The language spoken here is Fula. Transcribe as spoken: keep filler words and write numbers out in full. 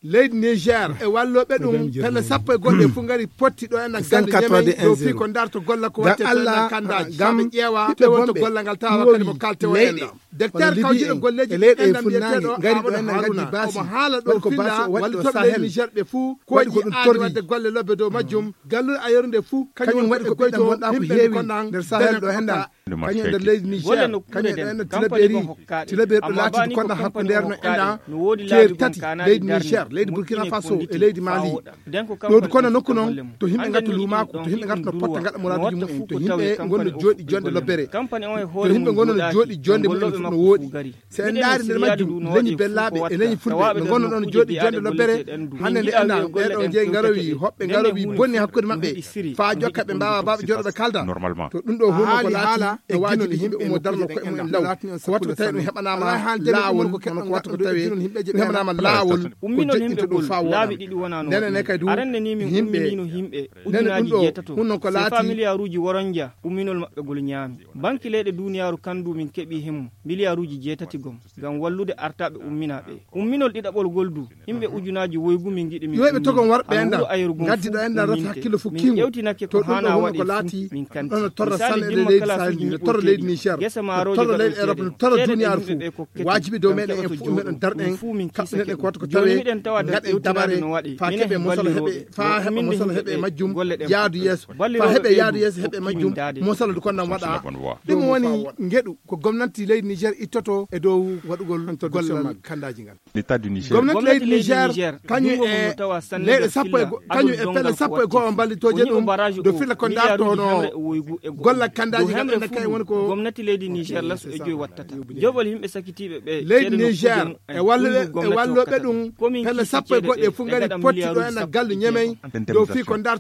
Leydi Niger e wallooɓe ɗum pelle sappo e goɗɗe fof ngari potti ɗo enɗan galle ñemen dow fii ko ndarto golla ko watte toenɗan kandaaji. Saɓe ƴeewa ɓe wonto golla ngal tawa kadi mo kalte o enɗan. Docteur kawjiɗo golleeji ɗi enɗan mbiyetee ɗo Amadou Haruna omo haala ɗo filla wallitooɓe leydi Niger ɓe fof kooƴi aadi waɗde golle lobbe dow majjum. Galluɗo ayoru nde fof kañum waɗi ko ɓeydo yimɓe ko nan nder Sahel ɗo enɗan. Kañum e nder leydi Niger kañum e ɗo enɗan tilaberi tilaberi ɗo laatiiɗo konɗan hakkundeere no enɗan keeri tati leydi Niger, leydi Burkina Faso e leydi Mali. Ɗowdi kono nokku noon to yimɓe ngatto luumaaku, to yimɓe ngatto potta ngaɗa muraaduuji mumen, to yimɓe ngonno jooɗi jonde lobbere, to yimɓe ngonno jooɗi jonde mumen fof no wooɗi. So en ndaari nder majjum leñi bellaaɓe e leñi fulɓe no ngonno ɗon jooɗi jonde lobbere. Hannde nde enɗan ɓeeɗo jeyi ngarowi hoɓɓe ngarowi bonni hakkunde maɓɓe faa jokka ɓe mbaawa baaɓe jooɗo ɓe kalda. To ɗum ɗo huno ko laati e waajibi yimɓe umo darno koye mumen law. Ko wattu ko tawi ɗum heɓanaama laawol kono ko wattu ko tawi ɗum heɓanaama laawol ko joƴƴinta ɗum faa wooɗa. Ndene ne kadi yimɓe ndene ɗum ɗo hunno ko laati miliyaaruuji woronja umminol maɓɓegol ñaami. Banki leyɗe duuniyaaru kanndu min keɓii hemmu miliyaaruuji jeetati gom ngam wallude artaaɓe umminaa ɓee. Umminol ɗiɗaɓol ngol du yimɓe ujunaaji woygu min ngiɗi min yoyɓe togon warɓe enɗan ngaddi ɗo enɗan rata hakkillo fukkiingo. To ɗum ɗo hunno ko laati ɗono torra sanne ɗe leydi sahel ndi no torra leydi Niger no torra leydi Europe no torra duuniyaaru fof. Waajibi dow meɗen en fof meɗen darɗen kaɓɓinen ɗe ko watta ko tawe ngaɗen dabare faa keɓe mosala heɓe faa heɓa mosala heɓe majjum yaadu yeeso faa heɓe yaadu yeeso heɓe majjum mosala du konɗan waɗa. Ɗum woni ngeɗu ko gomnati leydi Niger ittoto e dow waɗugol gollal kandaaji ngal. Gomnati leydi Niger kañum e leyɗe sappo e go- kañum e pelle sappo e go'o mballitooje ɗum do filla ko ndarto hono gollal kandaaji ngal enɗan kay woni ko gomnati leydi Niger laso e joyi wattata. Joɓol yimɓe sakitiiɓe ɓe leydi Niger e walluɓe e wallooɓe ɗum pelle sappo e goɗɗe fof ngari potti ɗo enɗan gallu ñemey dow fii ko ndarto